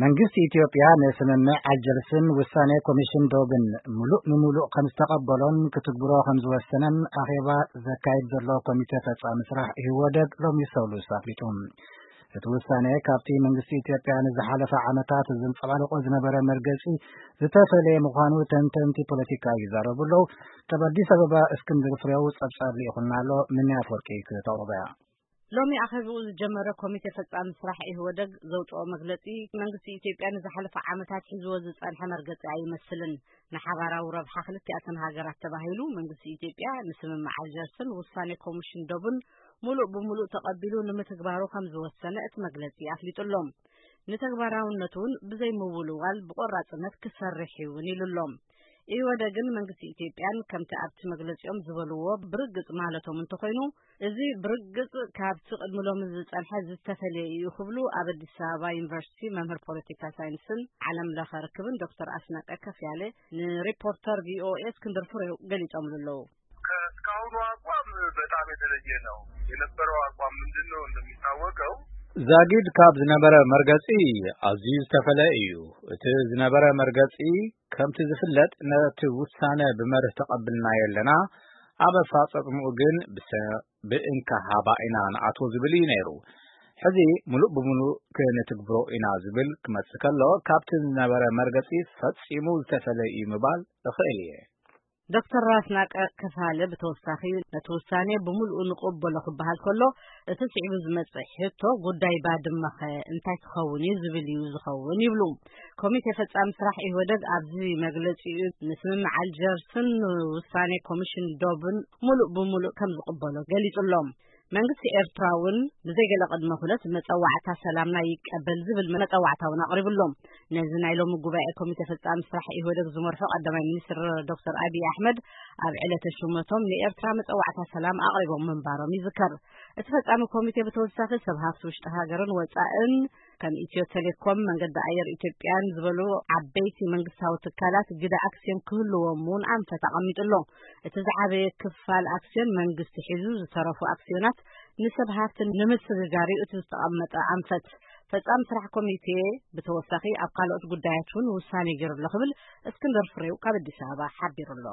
መንግስቲ ኢትዮጵያ ንስምምዕ ኣልጀርስን ውሳኔ ኮሚሽን ዶብን ምሉእ ንምሉእ ከም ዝተቐበሎን ክትግብሮ ከም ዝወሰነን ኣኼባ ዘካይድ ዘሎ ኮሚቴ ፈጻሚ ስራሕ ኢህወደግ ሎሚ ሰሉስ ኣፍሊጡ። እቲ ውሳኔ ካብቲ መንግስቲ ኢትዮጵያ ንዝሓለፈ ዓመታት ዘንጸባርቆ ዝነበረ መርገጺ ዝተፈለየ ምዃኑ ተንተንቲ ፖለቲካ ይዛረቡ ኣለዉ። ካብ ኣዲስ ኣበባ እስክንድር ፍሬው ጸብጻብ ልኢኹልና ኣሎ። ምንያ ኣፈወርቂ ክተቕርቦ እያ። ሎሚ ኣኼባኡ ዝጀመረ ኮሚቴ ፈጻሚ ስራሕ ኢህወደግ ዘውጽኦ መግለጺ፣ መንግስቲ ኢትዮጵያ ንዝሓለፈ ዓመታት ሒዝዎ ዝጸንሐ መርገጺ ኣይመስልን። ንሓባራዊ ረብሓ ክልቲኣተን ሃገራት ተባሂሉ መንግስቲ ኢትዮጵያ ንስምምዕ ኣልጀርስን ውሳኔ ኮሚሽን ዶብን ምሉእ ብምሉእ ተቐቢሉ ንምትግባሩ ከም ዝወሰነ እቲ መግለጺ ኣፍሊጡ ኣሎ። ንተግባራውነቱ እውን ብዘይ ምውልዋል ብቆራጽነት ክሰርሕ እውን ኢሉ ኣሎ። ኢህወደግን መንግስቲ ኢትዮጵያን ከምቲ ኣብቲ መግለጺኦም ዝበልዎ ብርግጽ ማለቶም እንተኾይኑ፣ እዚ ብርግጽ ካብቲ ቅድሚ ሎሚ ዝጸንሐ ዝተፈለየ እዩ ክብሉ ኣብ ኣዲስ ኣበባ ዩኒቨርሲቲ መምህር ፖለቲካ ሳይንስን ዓለም ለኸ ርክብን ዶክተር ኣስናቀ ከፍያለ ንሪፖርተር ቪኦኤ እስክንድር ፍሬው ገሊጾምሉ ኣለዉ። ከእስካሁኑ አቋም በጣም የተለየ ነው። የነበረው አቋም ምንድን ነው? እንደሚታወቀው ዛጊድ ካብ ዝነበረ መርገጺ ኣዝዩ ዝተፈለ እዩ። እቲ ዝነበረ መርገጺ ከምቲ ዝፍለጥ ነቲ ውሳነ ብመርህ ተቐብልናዮ ኣለና። ኣብ ኣፈጻጽምኡ ግን ብሰ-፣ ብእንካ ሃባ ኢና ንኣትዎ ዝብል እዩ ነይሩ። ሕዚ ምሉእ ብምሉእ ክንትግብሮ ኢና ዝብል ክመጽእ ከሎ፣ ካብቲ ዝነበረ መርገጺ ፈጺሙ ዝተፈለ እዩ ምባል እኽእል እየ። ዶክተር ራስናቀ ከፋለ ብተወሳኺ፣ ነቲ ውሳኔ ብምሉኡ ንቕበሎ ክበሃል ከሎ፣ እቲ ስዒቡ ዝመጽእ ሕቶ፣ ጉዳይ ባድመኸ እንታይ ክኸውን እዩ ዝብል እዩ ዝኸውን ይብሉ። ኮሚቴ ፈጻሚ ስራሕ ኢህወደግ ኣብዚ መግለጺኡ፣ ንስምምዕ ኣልጀርስን ውሳኔ ኮሚሽን ዶብን ምሉእ ብምሉእ ከም ዝቕበሎ ገሊጹ ኣሎ። መንግስቲ ኤርትራ እውን ብዘይ ገለ ቅድመ ኩነት መጸዋዕታ ሰላምና ይቀበል ዝብል መጸዋዕታ እውን ኣቕሪቡ ኣሎ። ነዚ ናይ ሎሚ ጉባኤ ኮሚቴ ፈጻሚ ስራሕ ኢህወደግ ዝመርሖ ቀዳማይ ሚኒስትር ዶክተር ኣብይ ኣሕመድ ኣብ ዕለተ ሹመቶም ንኤርትራ መጸዋዕታ ሰላም ኣቕሪቦም ምንባሮም ይዝከር። እቲ ፈጻሚ ኮሚቴ ብተወሳኺ ሰብ ሃፍቲ ውሽጢ ሃገርን ወጻእን ከም ኢትዮ ቴሌኮም፣ መንገዲ ኣየር ኢትዮጵያን ዝበሉ ዓበይቲ መንግስታዊ ትካላት ግደ ኣክስዮን ክህልዎም እውን ኣንፈት ኣቐሚጡ ኣሎ። እቲ ዝዓበየ ክፋል ኣክስዮን መንግስቲ ሒዙ፣ ዝተረፉ ኣክስዮናት ንሰብ ሃፍቲ ንምስግጋር እዩ እቲ ዝተቐመጠ ኣንፈት። ፈጻሚ ስራሕ ኮሚቴ ብተወሳኺ ኣብ ካልኦት ጉዳያት እውን ውሳኔ ገይሩ ኣሎ ክብል እስክንድር ፍሬው ካብ ኣዲስ ኣበባ ሓቢሩ ኣሎ።